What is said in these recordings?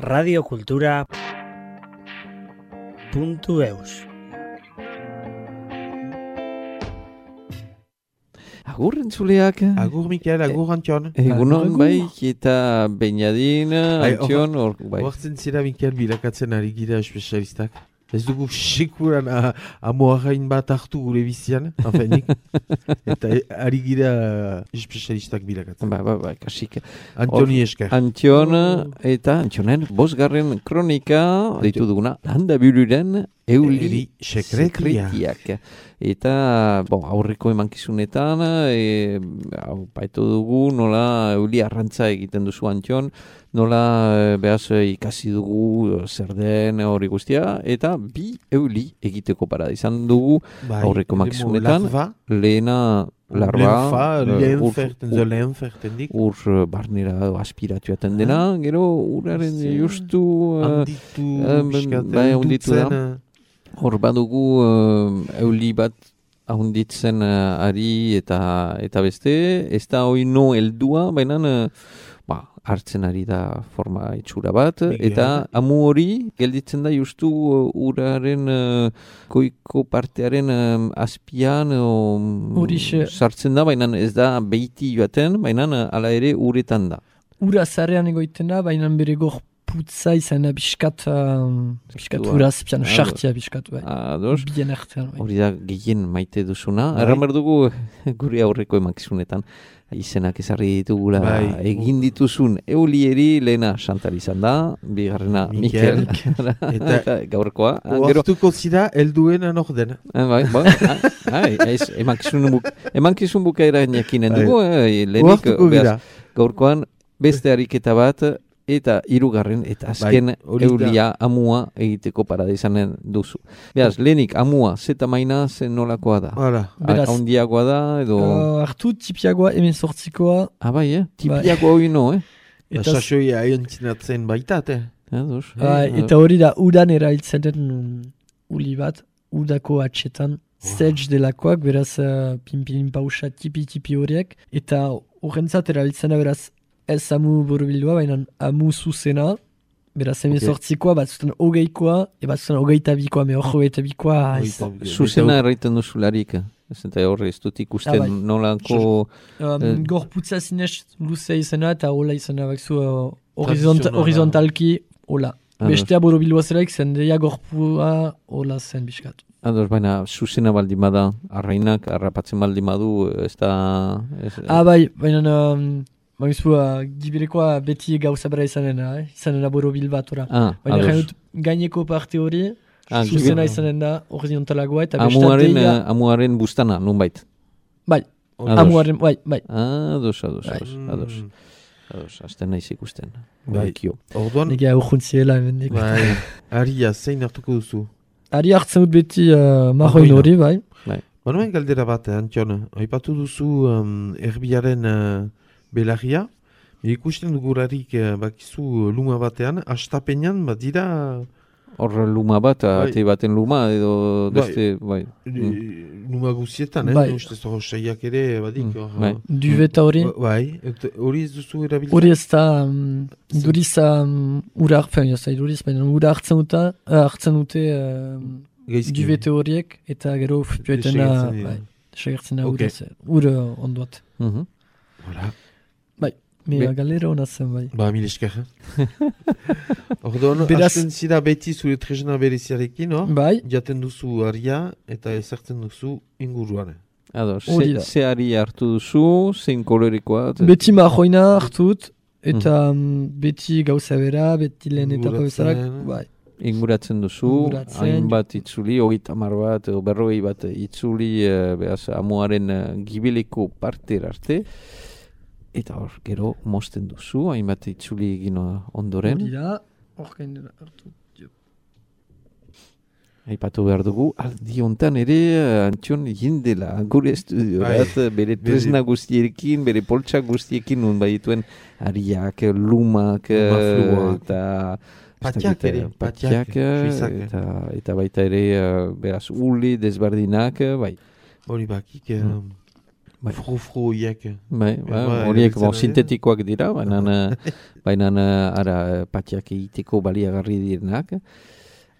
radiokultura.eus. Agur entzuleak. Agur Mikel, agur Antion. Egunon bai, eta Beñadin, Antion, bai. Hortzen zira Mikel bilakatzen ari gira espezialistak. Ez dugu sekuran amoarrain bat hartu gure bizian, afenik. Eta ari gira espezialistak bilakatzen. Ba, kasik. Antoni esker. Antion, eta Antionen, 5. kronika, deitu duguna, handa biruren euli sekretiak. Eta, aurreko emankizunetan, baitu dugu, nola euli arrantza egiten duzu Antion, nola behaz ikasi dugu zer den hori guztia, eta bi euli egiteko parada izan dugu aurreko emankizunetan, lehena larba, lehenferten ur barnera aspiratu jaten dena, gero uraren justu handitu da. Hor badugu euli bat ahonditzen ari eta beste, ez da oino heldua, baina hartzen ari da forma itxura bat, eta amu hori gelditzen da justu uraren goiko partearen azpian sartzen da, baina ez da beiti joaten, baina ala ere uretan da. Ura zarean egoiten da, baina bere gorputza izan da biskat uraz, pian sartia biskat. Bien artean. Hori da gehien maite duzuna. Erran behar dugu gure aurreko emakizunetan. Izenak ezarri ditugula egin dituzun eulieri, lehena Chantal izan da, bigarrena Mikel, eta gaurkoa. Oartuko zira helduena nordena. Emankizun bukaera jakinen dugu, lehenik gaurkoan beste ariketa bat, eta hirugarren eta azken eulia amua egiteko parada izanen duzu. Beraz, lehenik amua zeta maina zen nolakoa da? Haundiagoa da, edo... Artu tipiagoa 18koa. Bai, tipiagoa hori no, Sasoia aiontzinatzen baitat, eta hori da, udan erailtzen den uli bat, udako atxetan, sedge delakoak, beraz, pinpilin pausa tipi horiek, eta horrentzat erailtzen da, beraz, ez amu borobildua, baina amu zuzena, beraz 18koa, batzuten 20koa, batzuten 22koa, me hor 22koa. Zuzena erraiten duzularik, eta horre ez dut ikusten nolako... Gorputza zinez luzea izena, eta hola izena bakzu horizontalki, hola. Bestea borobildua zelaik, zendeia gorpua hola zen biskat. Ados, baina zuzena baldin bada, arrainak, arrapatzen baldin badu, ez da... baina... gibirekoa beti gauza bera izanen da borobil bat, baina gaineko parte hori, zuzena izanen da horizontalagoa, eta bestateia... Amuaren bustana, nun bait? Bai, amuaren, bai. Ados, azten naiz ikusten. Orduan... Nega urjuntziela, emendik. Aria, zein hartuko duzu? Aria hartzen dut beti marroin hori, bai. Baina galdera bat, Antion, aipatu duzu erbiaren... Belarria, ikusten dugurarik bakizu luma batean, astapenean bat dira... Hor luma bat, ate baten luma, edo beste... Luma guzietan, ustez hor saiak ere badik. Duveta hori? Hori ez duzu erabiltzen? Hori ez da, duriz ura hartzen dute duvete horiek, eta gero futuetena segertzen da ura ondoat. Mira, galera hona zen, bai. Mil esker. Orduan, hasten zira beti zure tresna bereziarekin, no? Bai. Jaten duzu aria eta ezartzen duzu inguruan. Ze ari hartu duzu, zein kolorikoa? Beti marroina hartut, eta beti gauza bera, beti lehen etapa bezarak, bai. Inguratzen duzu, hainbat itzuli, 30 bat, edo 40 bat itzuli, behaz, amuaren gibileko partera arte, eta hor, gero, mosten duzu, hainbat itzuli egin ondoren. Hori da, hor gainera hartu. Aipatu behar dugu, aldi hontan ere, Antion jindela, gure estudiorat, bere tresna guztiekin, bere poltsa guztiekin, nun badituen ariak, lumak, eta... Patiak ere, eta baita ere, beraz, uli, desbardinak, bai. Hori bakik, Fro-froiek. Horiek sintetikoak dira, baina ara patiak egiteko baliagarri direnak.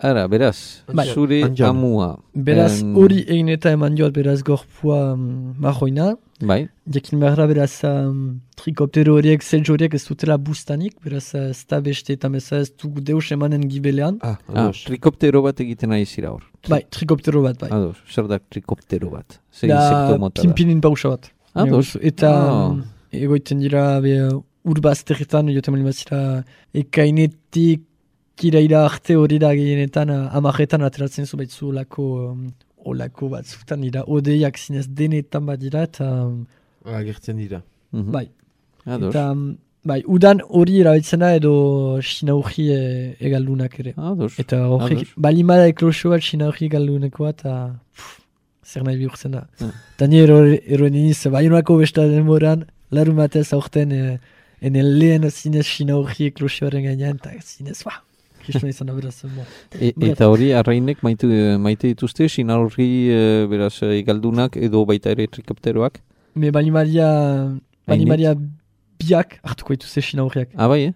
Ara, beraz, zure amua. Beraz, hori egin eta eman joat, beraz, gorpua marroina. Bai. Jakin behar beraz, trikoptero horiek, zeltz horiek ez dutela bustanik, beraz, ez da beste eta meza ez dugu deus emanen gibelean. Trikoptero bat egiten nahi zira hor. Bai, trikoptero bat, bai. Ados, zer da trikoptero bat? Zer insekto mota da? Pinpinin pausa bat. Ados. Eta egoiten dira, urbazterretan, joten mali bazira, ekainetik, kiraira arte hori da gehienetan, amaretan ateratzen zu baitzu olako batzutan dira, odeiak zinez denetan bat dira, eta... Agertzen dira. Bai. Ados. Eta, bai, udan hori erabiltzena edo sinauji egaldunak ere. Ados. Eta horrek, balimada ekloso bat sinauji egaldunekoa, eta zer nahi bihurtzen da. Eta ni eroen iniz, baionako besta denboran, larun batez aurten, enen lehen zinez sinauji eklosoaren gainean, eta zinez, Kriston izan da beraz. Eta hori, arrainek maite dituzte, sinarri beraz egaldunak edo baita ere trikopteroak? Me balimaria biak hartuko dituzte sinarriak. Bai,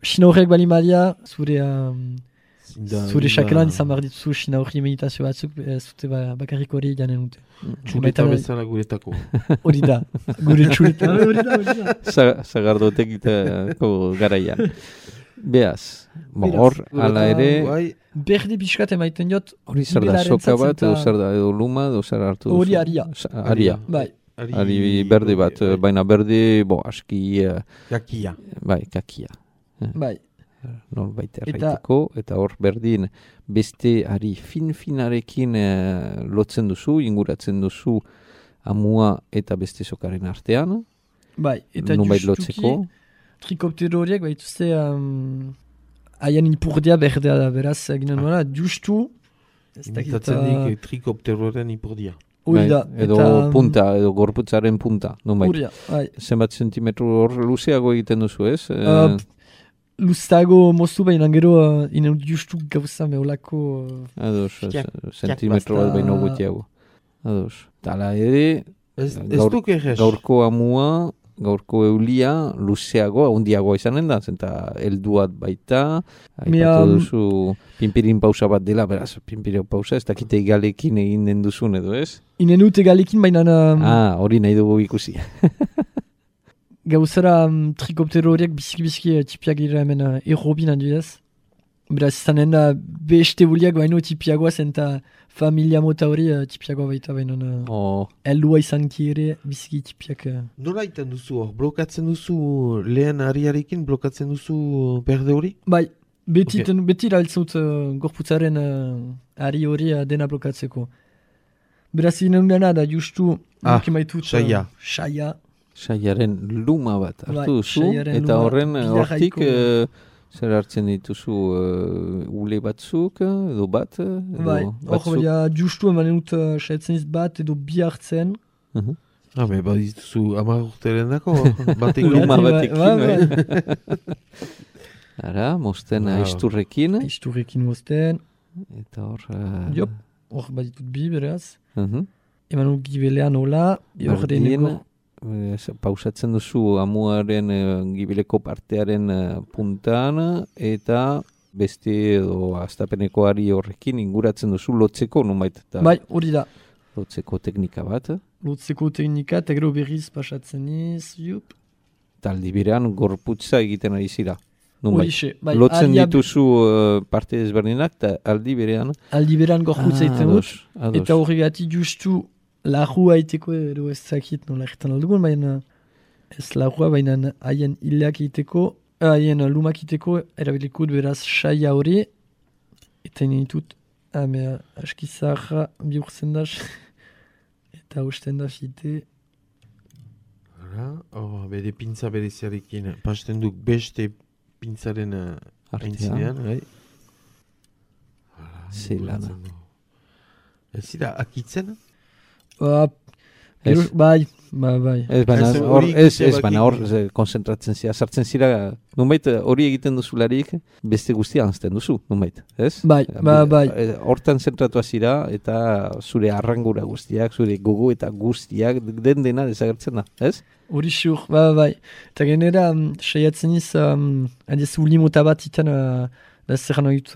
sinarriak balimaria zure xakelan izan behar dituzu sinarri meditazio batzuk, zute bakarrik hori janen dute. Txuleta bezala guretako. Hori da, gure txuleta. Zagardotek itako garaian. Beaz, hor, ala ere... Berde pixkat emaiten jot... Hori zer da, soka bat, edo zer da, edo luma, edo zer hartu duzu? Hori aria. Aria. Bai. Ari berde bat, baina berde, aski... Kakia. Bai, kakia. Bai. Norbait erraiteko, eta hor berdin beste ari fin-finarekin lotzen duzu, inguratzen duzu amua eta beste sokaren artean. Bai, eta justuki... Trikoptero horiek, baituzte, haien ipurdia berdea da, beraz, ginen nola, justu... Imitatzen dik trikopteroaren ipurdia. Uida. Edo punta, edo gorputzaren punta, non bai. Uria, bai. Zenbat zentimetro hor luzeago egiten duzu, ez? Luzeago moztu baina gero, inen justu gauza meolako... Ados, zentimetro bat baino gutiago. Ados. Tala ere, gaurko amua... Gaurko eulia, luzeago, handiagoa izanen da, zenta helduat baita, aipatu duzu pinpirin pausa bat dela, beraz, pinpirin pausa, ez dakite egalekin egin den duzun edo, ez? Inen dut egalekin, baina... hori nahi dugu ikusi. Gauzara trikoptero horiek biziki tipiak dira hemen errobin handidez. Beraz, izanen da beste buliak baino tipiagoa zenta familia mota hori tipiagoa baita baino heldua izanki ere biziki tipiak. Nola iten duzu hor? Blokatzen duzu lehen ariarekin, blokatzen duzu berde hori? Bai, beti erabiltzut gorputzaren ari hori dena blokatzeko. Beraz, inen dena da justu saia. Saiaren luma bat hartu duzu, eta horren hortik... Zer hartzen dituzu ule batzuk, edo bat? Bai, hor justu emanen dut saiatzen bat edo bi hartzen. Bat dituzu 10 urteren dako, luma batekin, bai. Ara, mozten aizturrekin. Aizturrekin mozten. Eta hor... Hor bat ditut bi, beraz. Eman dut gibelean hola. Berdin. Pausatzen duzu amuaren gibeleko partearen puntan eta beste edo astapeneko ari horrekin inguratzen duzu lotzeko nonbait. Bai, hori da. Lotzeko teknika bat. Lotzeko teknika, eta gero berriz pasatzen iz, jup. Taldi berean gorputza egiten ari zira. Horixe, bai. Lotzen dituzu parte ezberdinak eta aldi berean. Aldi berean gorputza egiten dut. Eta horregati justu lajua iteko edo ez zakit nola egiten aldugun, baina ez lajua, baina haien hileak iteko, haien lumak iteko, erabilikut beraz saia hori, eta initut, askizarra bihurtzen da, eta usten da fite. Bede pintza bereziarekin, pasten duk beste pintzaren aintzinean, bai? Zelana. Ez da akitzen? Bai. Ez, baina hor konzentratzen zira, sartzen zira, nunbait hori egiten duzularik, beste guztia anzten duzu, nunbait, ez? Bai. Hortan zentratua zira, eta zure arrangura guztiak, zure gogo eta guztiak, dena desagertzen da, ez? Hori xur, bai. Eta genera, saiatzen iz, adiez ulimota bat iten, da zer noit,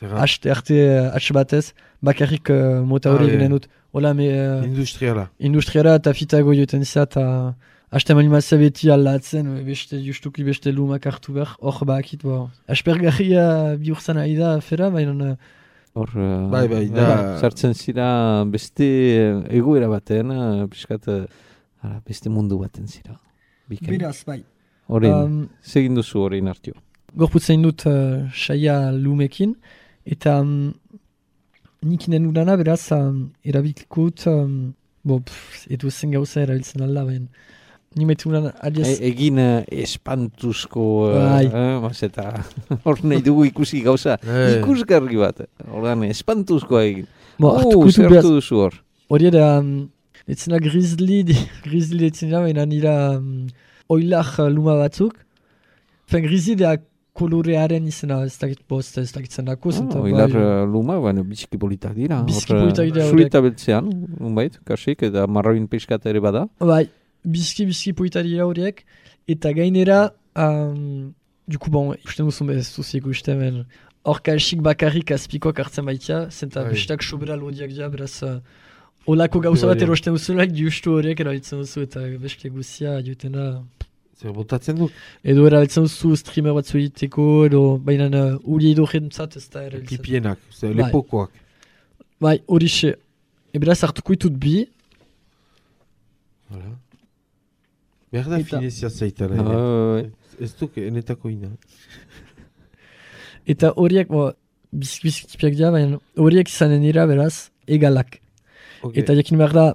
arte batez, bakarrik mota hori genen dut. Hola, industriala eta fitago joten za, eta haste animazia beti aldatzen, justuki beste lumak hartu behar, hor bakit, aspergarria bihurtzen ari da afera, baina... Hor, sartzen zira beste egoera baten, piskat, beste mundu baten zira. Beraz, bai. Horrein, segin duzu horrein hartio. Gorputzen dut saia lumekin, eta... Nik inen udana, beraz, erabilkut, edo zen gauza erabiltzen alda, baina. Nik metu udana, adiez... Egin espantuzko, eta hor nahi dugu ikusi gauza, ikusgarri bat. Horren, espantuzkoa egin. Zertu duzu hor? Hori da, etzena grizzly etzena, baina nira oilak luma batzuk. Grizzly da kolorearen izena, ez dakitzen dako. Oilar luma, baina biziki politak dira. Biziki politak dira. Zurita beltzean, unbait, kasik, eta marroin peskat ere bada. Bai, biziki politak dira horiek, eta gainera, duku ikusten duzun bez duzik ikusten, hor kasik bakarrik azpikoak hartzen baitia, zenta bestak sobera lodiak dira, beraz, olako gauza bat erosten duzulaik, justu horiek erabiltzen duzu, eta beste guzia, jutena... Zer botatzen duk? Edo erabiltzen duzu streamer bat zuiteko, edo baina uri edo jentzat ez da erabiltzen. Pipienak, lepokoak. Bai, hori xe. Beraz hartuko ditut bi. Behar da finezia zaitara. Ez duk enetako ina. Eta horiek, bizkipiak dira, baina horiek izanen dira, beraz, egalak. Eta jakin behar da,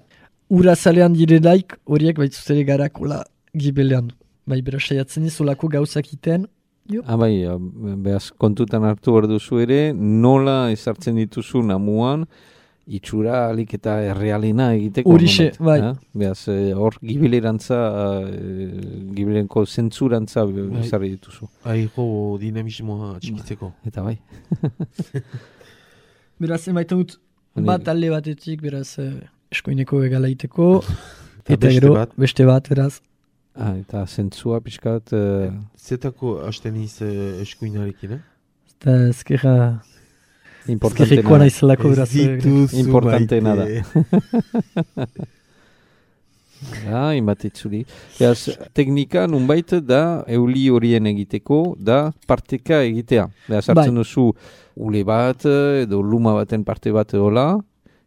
ura zalean direlaik, horiek baitzuzere garakola gibelean. Bai, beraz, saiatzen izolako gauzak iten. Bai, behaz, kontutan hartu behar duzu ere, nola ezartzen dituzu namuan, itxura alik eta errealena egiteko. Horixe, bai. Behaz, hor gibilerantza, gibilerenko zentzurantza ezarri dituzu. Aiko dinamismoa txikitzeko. Eta bai. Beraz, emaiten dut bat alde batetik, beraz, eskoineko egala iteko. Eta gero, beste bat, beraz. Eta zentzua pixkat... Zetako hasten iz eskuinarekin, Eta ezkerrekoa nahizelako beraz. Importanteena da. Inbat itzuli. Teknika nunbait da euli horien egiteko, da parteka egitea. Sartzen duzu ule bat edo luma baten parte bat edola,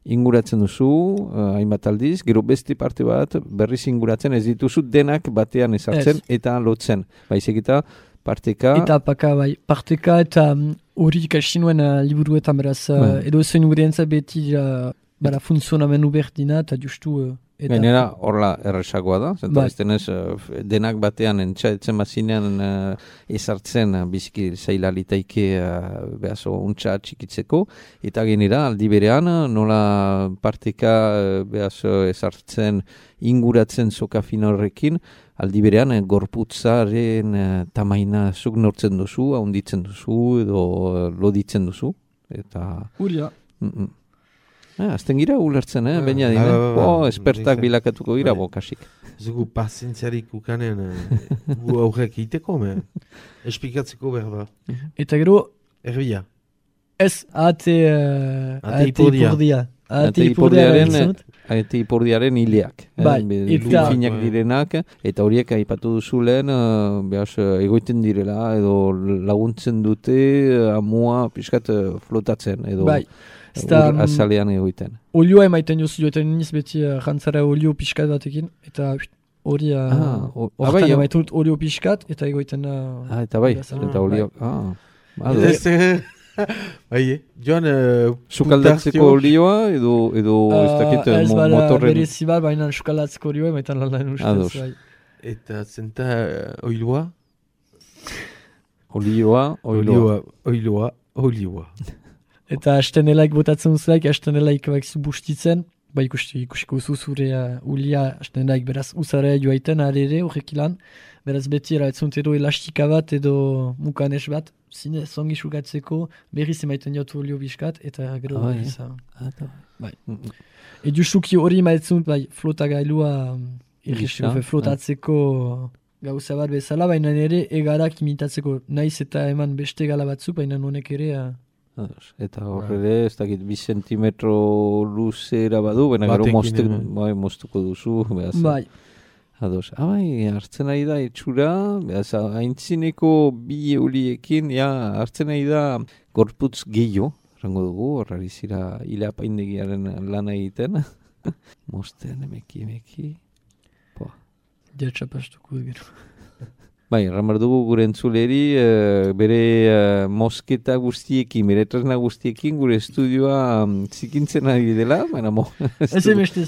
inguratzen duzu, hainbat aldiz, gero beste parte bat berriz inguratzen ez dituzu denak batean ezartzen eta lotzen. Baizik eta parteka... Eta apaka, bai. Parteka eta hori ikastinuen liburuetan beraz, edo zen ingurientza beti funtzionamendu berdina eta justu... Gainera, horla erresagoa da, zenta ez denak batean entxaetzen bazinean ezartzen biziki zaila litaike behazo untxa txikitzeko, eta gainera aldi berean nola parteka behazo ezartzen inguratzen soka finorrekin, aldi berean gorputzaren tamaina zuk nortzen duzu, haunditzen duzu edo loditzen duzu. Huria. Azten gira ulertzen, baina dine. Espertak bilakatuko gira, kasik. Zugu pazientziarik ukanen gu aurrek iteko, espikatzeko behar da. Eta gero... Erbia. Ez, ate ipurdia. Ate ipurdiaren hileak. Finak direnak, eta horiek aipatu duzulen, egoiten direla, edo laguntzen dute, amua piskat flotatzen, edo... Ur azalean egoiten. Olioa emaiten joten niz beti jantzara olio pixkat batekin, eta hori horretan emaiten dut olio pixkat, eta egoiten... Eta bai, eta olio... Joan... Sukaldatzeko olioa, edo ez dakit motorren... Ez bada berezibar, baina sukaldatzeko olioa emaiten lan ustez. Eta zenta oiloa? Olioa. Eta hasten elaik botatzen duzulaik, hasten elaik bustitzen, ikusiko zure ulia hasten daik, beraz uzara joaiten arere horrek ilan, beraz beti eraitzunt edo elastika bat edo mukanes bat, zine zongi sugatzeko, berriz emaiten jotu olio biskat, eta gero berriz. Bai. Edu suki hori maitzun, flota gailua flotatzeko gauza bat bezala, baina ere egarak imitatzeko naiz eta eman beste gala batzuk, baina honek ere... Eta horre ez dakit 2 zentimetro luzera badu, baina gero moztuko duzu. Bai. Ados, hartzen nahi da etxura, haintzineko 2 euliekin, hartzen nahi da gorputz gehiago, rango dugu, horrari zira hila paindegiaren lan egiten. Mozten, emeki. Diatxapastuko gero. Bai, ramar dugu gure entzuleri, bere mosketa guztiekin, bere tresna guztiekin, gure estudioa zikintzen ari dela, baina Ez emeste.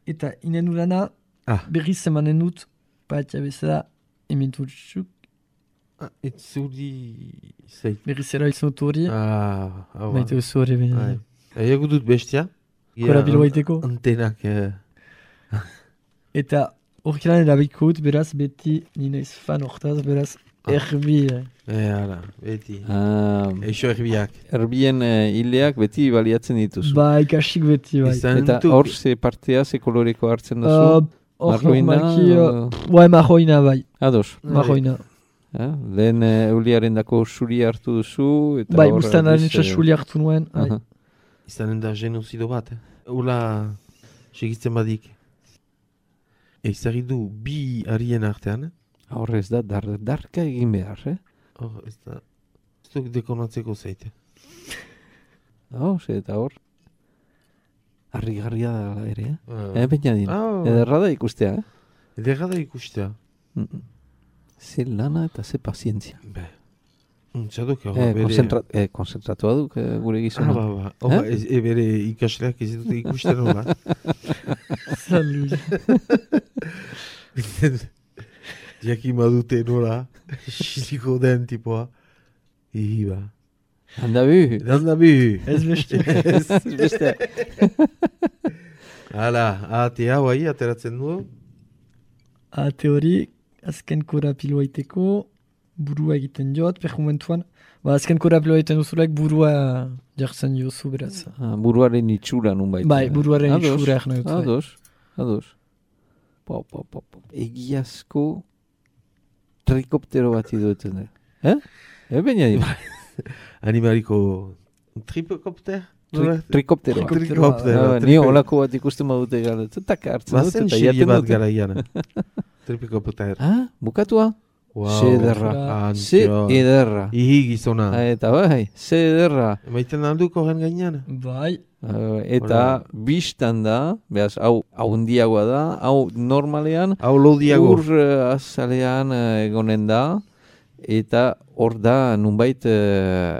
Eta inen urana, berriz emanen dut, patia bezala, ementutzuk. Itzuri zeit. Berriz era izanut hori. Baita oso hori bine. Ego dut bestia. Korabilo baiteko. Antenak. Eta horkilan erabiko dut, beraz, beti ninaiz fan hortaz, beraz, erbi. Hala, beti. Eixo erbiak. Erbien hileak beti baliatzen dituzu. Bai, kasik beti, bai. Eta hor ze partea, ze koloreko hartzen duzu? Marroina? Marroina, bai. Ados. Marroina. Lehen euliaren dako suri hartu duzu. Bai, guztanaren suri hartu nuen. Izanen da genozido bat. Ula, segitzen badik. Ezagit du 2 harien artean. Horrez da, darka egin behar, Ez da, ez duk dekonatzeko zeite. Eta hor, harri-garria da ere, baina din. Ederra da ikustea, Ederra da ikustea. Ze lana eta ze pazientzia. Txaduk, bere... Konzentratua duk gure gizona. Bere ikasleak ez dute ikusten hola. Salut. Jakin badute nola, xiziko den tipoa. Iba. Handabu. Ez beste. Hala, ate hau ahi, ateratzen du. Ate hori, azken korapiloa iteko, burua egiten joat, perjumentuan. Azken korapiloa egiten duzulaik burua jartzen jozu beraz. Buruaren itxura nun baita. Bai, buruaren itxura egin dut. Ados. Egiazko trikoptero bat iduten da. Baina dira. Animaliko tripokopter? Trikoptero. Ni olako bat ikusten badute gara. Zetak hartzen dut. Bazen xerie bat gara iana. Tripokopter. Bukatua? Se ederra. Ihi gizona. Eta bai, se ederra. Maiten alduko gen gainean. Bai. Eta biztan da, behaz, hau handiagoa da, hau normalean, hau lodiago. Ur azalean egonen da, eta hor da nunbait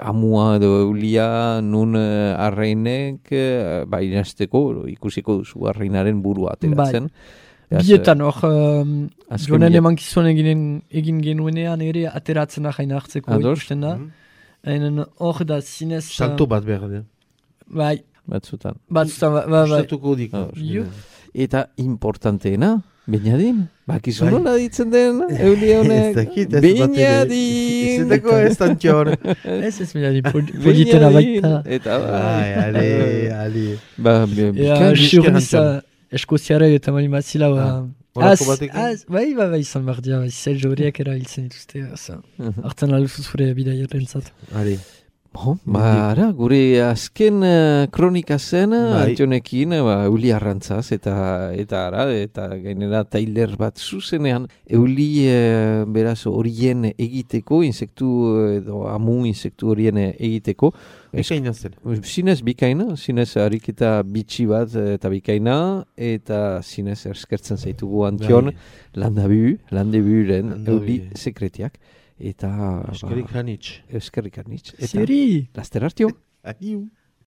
amua edo eulia nun arreinek, inazteko, ikusiko duzu arreinaren burua ateratzen. Bietan hor, jonen emankizun egin genuenean ere ateratzen ahain hartzeko ikusten da. Hor da zinez... Salto bat behar da. Bai. Batzutan. Bai. Gustatuko diko. Eta importanteena, Beñadin. Bakizu nola ditzen den, eulia honek. Beñadin. Zetako ez tantxor. Ez Beñadin, politena baita. Eta ali. Xurniza eskoziare eta mali matzila. Bai, izan behar dira. Zel joriak erabiltzen dituzte. Artan aluzuz zure bidaierren zat. Ali. Gure azken kronika zen, Antionekin, euli arrantzaz, eta gainera Tyler bat zuzenean, euli beraz horien egiteko, amu insektu horien egiteko. Bikaina zen. Zinez bikaina, zinez ariketa bitxi bat eta bikaina, eta zinez erskertzen zaitugu Antion, landeburen euli sekretiak. Eta... Eskerrik hanitz. Zeri! Laster hartio. Ahiu.